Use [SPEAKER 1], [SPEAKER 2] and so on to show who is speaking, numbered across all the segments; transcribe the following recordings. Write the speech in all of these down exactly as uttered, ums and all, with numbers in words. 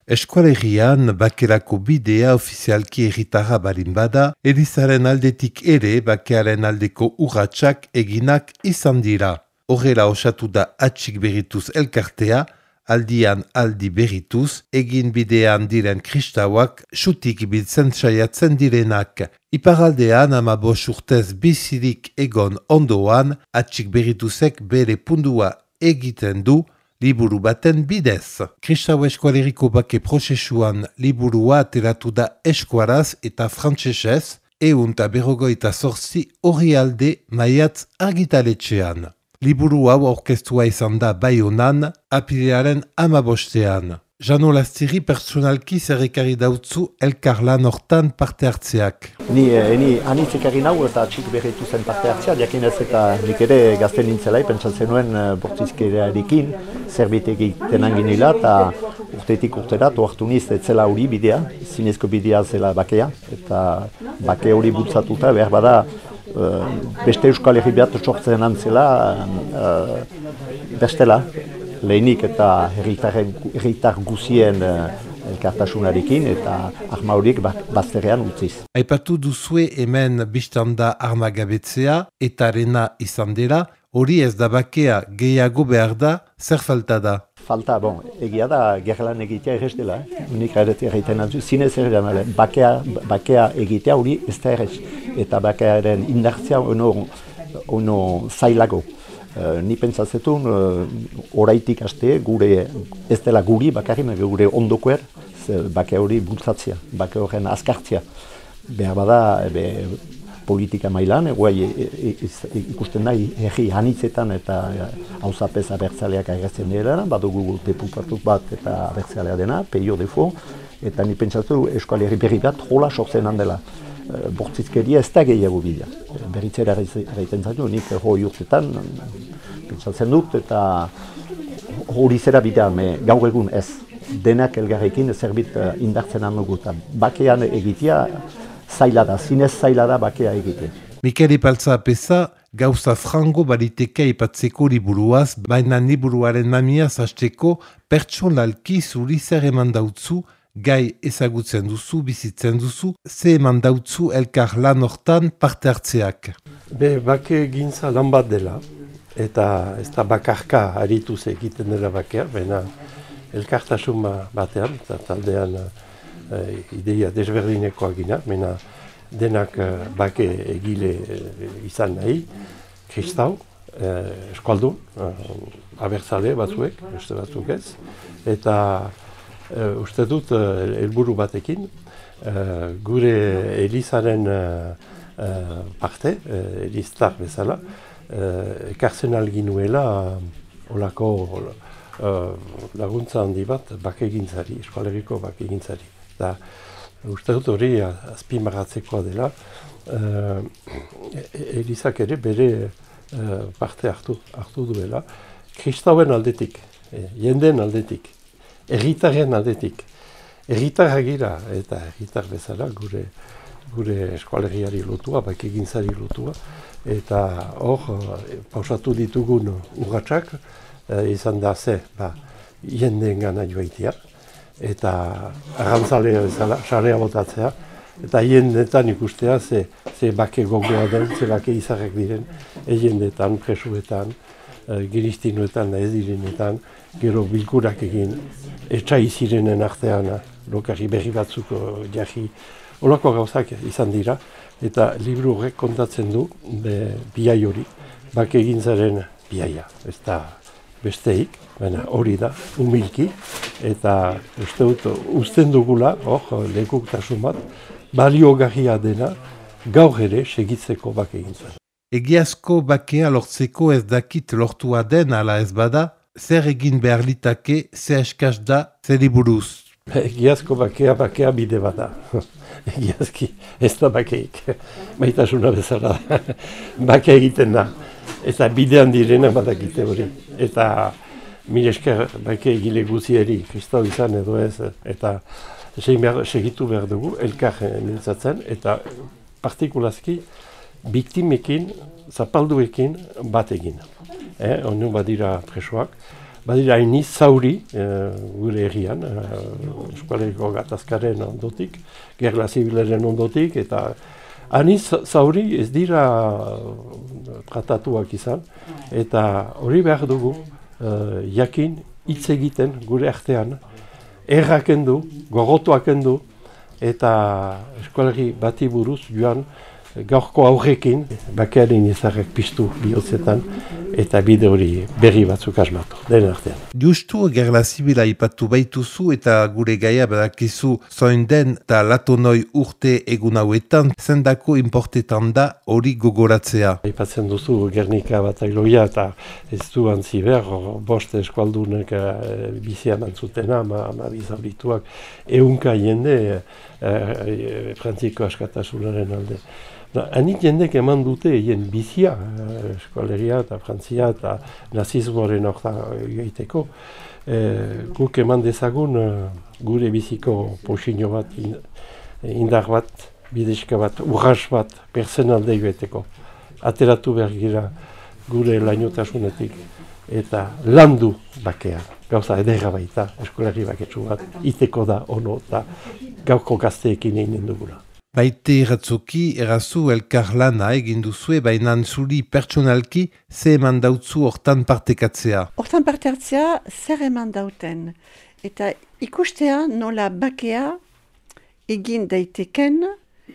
[SPEAKER 1] Eskualegian bakerako bidea ofizialki herritarra balin bada, Elizaren aldetik ere bakearen aldeko urratsak eginak izan dira. Horrela osatu da atxik berrituz elkartea, aldian aldi berrituz, egin bidean diren kristauak xutik ibiltzen saiatzen direnak. Iparaldean amabos urtez bizirik egon ondoan, atxik berrituzek bere pundua egiten du, liburu baten bidez. Kristau eskualeriko bake prozesuan liburua ateratu da eskuaraz eta frantsesez, ehun eta berrogeita zortzi orrialde maiatz argitaletxean. Liburu hau aurkeztua izan da Baionan, apirilaren hamabostean. Jano Lastiri pertsonalki zerrekari dautzu elkarlan hortan parte hartzeak.
[SPEAKER 2] Ni, ni anitzekarri nau eta txik berritu zen parte hartzea, jakinez eta nik ere gazten nintzelai, pentsatzen nuen bortzizkerearekin, zerbait egiten anginila eta urtetik urtera, toartu niz, etzela hori bidea, zinezko bidea zela bakea, eta bake hori bultzatuta behar bada, Uh, beste Euskal Herri bat sortzen antzela, uh, bestela, lehenik eta herritar guzien uh, elkartasunarekin eta arma horiek bazterrean utziz.
[SPEAKER 1] Aipatu duzue hemen biztanda armagabetzea eta arena izan dela, hori ez da bakea gehiago behar da, zer falta da?
[SPEAKER 2] Falta, bon, egia da gerlan egitea errez dela, eh? Unik egiten antzu, zinez errean, bakea, bakea egitea hori ez da errez, eta bakearen indartzea ono, ono zailago. Uh, ni pentsazetun, uh, oraitik haste, gure, ez dela guri bakarri, gure ondokoer, bakea hori bultzatzea, bakea horren azkartzea. Behar bada, be, politika mailan, guai ikusten da, herri hanitzetan eta hauzapez abertzaleak agertzen dira, badugu deputatu bat eta abertzalea dena, peio defo, eta ni pentsatu Euskal Herri berri bat jola sortzen handela. Bortzizkeria ez da gehiago bidea. Berritzera gaiten zaitu, nik hori urtetan pentsatzen dut, eta hori zera bidea, me gaur egun ez. Denak elgarrekin zerbit indartzen handugu, eta bakean egitea, zaila da, zinez zaila da bakea egite.
[SPEAKER 1] Mikel Epaltza apesa, gauza frango baliteke aipatzeko liburuaz, baina liburuaren mamiaz hasteko pertsonalki zuri zer eman dautzu, gai ezagutzen duzu, bizitzen duzu, ze eman dautzu elkar lan hortan parte hartzeak.
[SPEAKER 3] Be, bake gintza lan bat dela, eta ez da bakarka harituz egiten dela bakea, baina elkartasun batean, eta taldean Uh, ideia desberdinekoak gina, mena denak uh, bake egile uh, izan nahi, kristau, uh, eskualdun, uh, abertzale batzuek, beste batzuk ez, eta uh, uste dut uh, helburu batekin, uh, gure Elizaren uh, uh, parte, uh, Eliztar bezala, uh, ekartzen alginuela uh, olako uh, laguntza handi bat bake gintzari, eskualeriko bake gintzari. Da, uste dut hori azpimarratzekoa dela, uh, Elizak ere bere uh, parte hartu, hartu duela, kristauen aldetik, eh, jenden aldetik, erritaren aldetik. Erritarra gira eta erritar bezala gure, gure eskualeriari lotua, bakegintzari lotua, eta hor uh, pausatu ditugun urratsak uh, izan da ze, ba, jenden gana joaitia, eta arrantzalea bezala, sarea botatzea, eta hiendetan ikustea ze, ze bake gogoa den, ze bake izarrak diren, hiendetan, presuetan, e, giristinuetan, ez direnetan, gero bilkurak egin, etxai zirenen artean, lokarri berri batzuk jarri, holako gauzak izan dira, eta liburu horrek kontatzen du be, biai hori, bake egintzaren biaia, ez da besteik, baina hori da, humilki, eta uste dut, uzten dugula, hor, lekuktasun bat, baliogarria dena, gaur ere segitzeko bake egintzen.
[SPEAKER 1] Egiazko bakea lortzeko ez dakit lortua den ala ez bada, zer egin behar litake, ze eskaz da, zer liburuz?
[SPEAKER 3] Egiazko bakea, bakea bide bada. Egiazki, ez da bakeik. Maitasuna bezala, bakea egiten da. Eta bidean direna badakite hori. Eta mire esker bake egile guzieri, kristau izan edo ez, eta segitu behar dugu, elkar mintzatzen, eta partikulazki biktimekin, zapalduekin bat egin. Eh, Onu badira presoak, badira hainiz zauri e, gure herrian, e, eskualeriko gatazkaren ondotik, gerla zibilaren ondotik, eta hainiz zauri ez dira tratatuak izan, eta hori behar dugu e, jakin hitz egiten gure artean, erraken du, gogotuaken du, eta eskualerri bati buruz joan gaurko aurrekin, bakearen izarrak piztu bihotzetan, eta bide hori berri batzuk asmatu, den artean.
[SPEAKER 1] Justu gerla zibila ipatu baituzu eta gure gaia badakizu zoin den eta latonoi urte egun hauetan, zendako importetan da hori gogoratzea.
[SPEAKER 3] Aipatzen duzu Gernika batailoia eta ez du antzi behar, bost eskualdunek e, bizia mantzutena, ama, ama bizaurituak, ehunka jende e, e, Frantziko askatasunaren alde. Hanik jendek eman dute egin bizia, eh, eskualeria eta Frantzia eta nazismoaren orta egiteko. Eh, guk eman dezagun eh, gure biziko posino bat, indar bat, bideska bat, urras bat, personalde egiteko. Ateratu behar gira gure lainotasunetik eta landu bakea. Gauza edera baita, eskualeri baketsu bat, iteko da ono eta gauko gazteekin egin dugula.
[SPEAKER 1] Baite iratzoki, erazu elkar lana egin duzue, baina zuri pertsonalki ze eman dautzu hortan partekatzea.
[SPEAKER 4] Hortan parte hartzea zer eman dauten. Eta ikustea nola bakea egin daiteken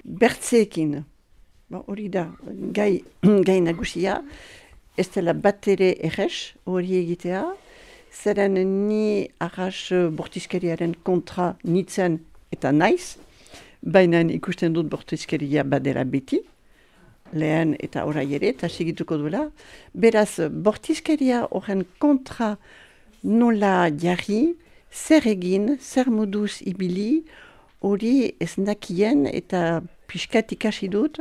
[SPEAKER 4] bertzeekin. Hori da, gai, gai nagusia, ez dela bat ere errez hori egitea, zeren ni arras bortizkeriaren kontra nitzen eta naiz, baina ikusten dut bortizkeria badera beti, lehen eta orai ere, eta segituko duela. Beraz, bortizkeria horren kontra nola jarri, zer egin, zer moduz ibili, hori ez nakien eta pixkat ikasi dut,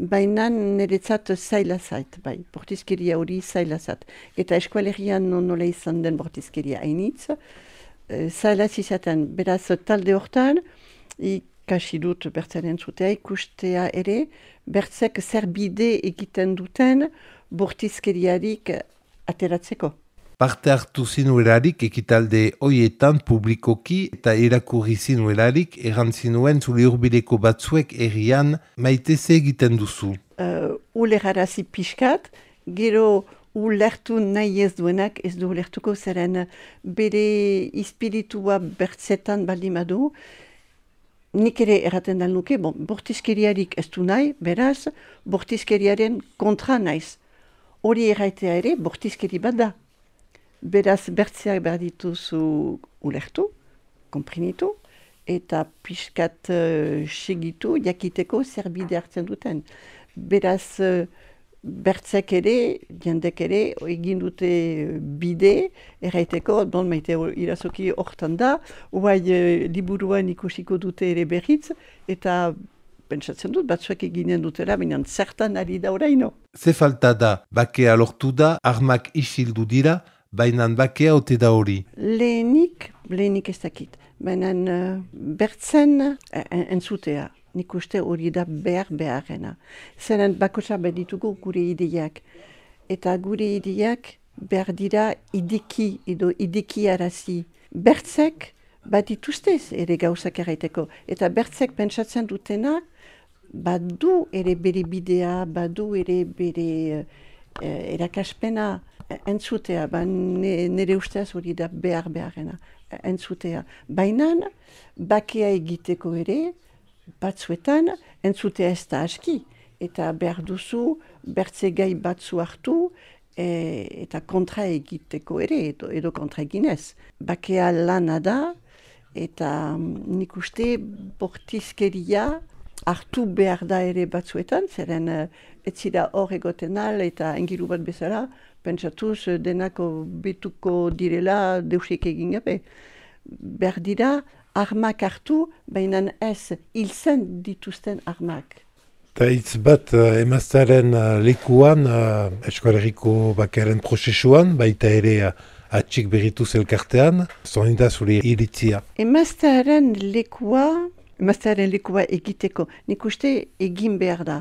[SPEAKER 4] baina niretzat zaila zait, bai, bortizkeria hori zaila zait. Eta eskualerian nola izan den bortizkeria hainitz, zaila zizaten, beraz talde hortan, ikasi dut bertzaren zutea, ikustea ere, bertzek zer bide egiten duten bortizkeriarik ateratzeko.
[SPEAKER 1] Parte hartu zinuelarik ekitalde hoietan publikoki eta irakurri zinuelarik errantzinuen zure hurbileko batzuek herrian maiteze egiten duzu.
[SPEAKER 4] Uh, Ulerarazi pixkat, gero ulertu nahi ez duenak ez du ulertuko zeren bere ispiritua bertzetan baldin badu. Nik ere erraten da nuke, bon, bortizkeriarik ez du nahi, beraz, bortizkeriaren kontra naiz. Hori erraitea ere, bortizkeri bat da. Beraz, bertzeak behar dituzu ulertu, komprenitu, eta pixkat uh, segitu, jakiteko zer bide hartzen duten. Beraz, uh, bertzek ere, jendek ere, egin dute bide, erraiteko, don maite irazoki hortan da, uai uh, liburuan ikusiko dute ere berriz, eta pentsatzen dut, batzuek eginen dutela, baina zertan ari da oraino.
[SPEAKER 1] Ze falta da, bakea lortu da, armak isildu dira, baina bakea ote da hori.
[SPEAKER 4] Lehenik, lehenik ez dakit, baina uh, bertzen uh, entzutea. Nik uste hori da behar beharrena. Zeren bakotsa beditugu gure ideiak. Eta gure ideiak behar dira ideki edo ideki arazi. Bertzek bat dituztez ere gauzak erraiteko. Eta bertzek pentsatzen dutena badu ere bere bidea, badu ere bere eh, erakaspena entzutea. Ba, ne, nire ustez hori da behar beharrena entzutea. Baina bakea egiteko ere, batzuetan, entzutea ez da aski, eta behar duzu bertze gai batzu hartu e, eta kontra egiteko ere, edo, edo kontra eginez. Bakea lana da, eta nik uste bortizkeria hartu behar da ere batzuetan, zeren ez zira hor egoten al, eta engiru bat bezala, pentsatuz denako betuko direla deusik egin gabe. Behar dira, armak hartu, baina ez hiltzen dituzten armak.
[SPEAKER 5] Eta hitz bat uh, emaztearen uh, lekuan, uh, eskoaleriko bakearen prozesuan, baita ere uh, atxik berrituz elkartean, zoin da zure iritzia.
[SPEAKER 4] Emaztearen lekua, emaztearen lekua egiteko, nik uste egin behar da.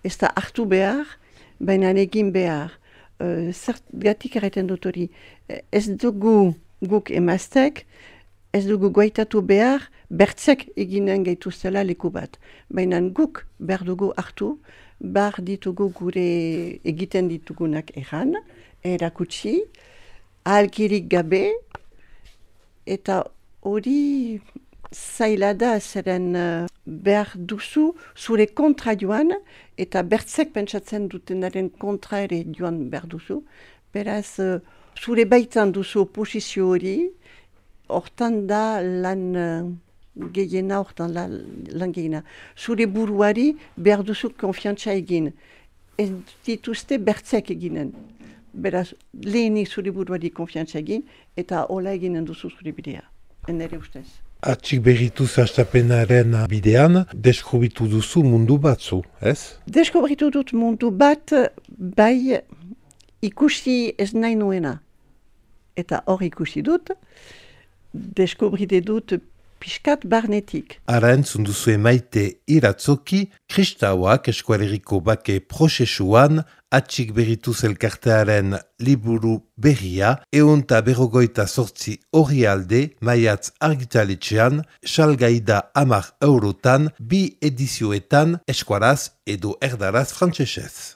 [SPEAKER 4] Ez da hartu behar, baina egin behar. uh, zergatik erraiten dut hori, ez dugu guk emaztek, ez dugu goaitatu behar, bertzek eginen gaituztela leku bat. Baina guk behar dugu hartu, behar ditugu gure egiten ditugunak erran, erakutsi, ahalkirik gabe, eta hori zaila da zeren uh, behar duzu zure kontra joan, eta bertzek pentsatzen dutenaren kontra ere joan behar duzu. Beraz, uh, zure baitan duzu oposizio hori, hortan da lan uh, gehiena, hortan la, lan gehiena. Zure buruari behar duzu konfiantza egin. Ez dituzte bertzek eginen. Beraz, lehenik zure buruari konfiantza egin, eta hola eginen duzu zure bidea. Enere ustez.
[SPEAKER 5] Atxik berrituz hastapenaren bidean, deskobritu duzu mundu batzu, ez?
[SPEAKER 4] Deskobritu dut mundu bat, bai ikusi ez nahi nuena. Eta hor ikusi dut, deskobrite dut piskat barnetik.
[SPEAKER 1] Ara entzun duzue Maite Iratzoki, kristauak eskualeriko bake prozesuan, atxik berrituz elkartearen liburu berria, eunta berrogoita sortzi hori alde, maiatz argitaletxean, salgaida hamar eurotan, bi edizioetan, eskuaraz edo erdaraz frantsesez.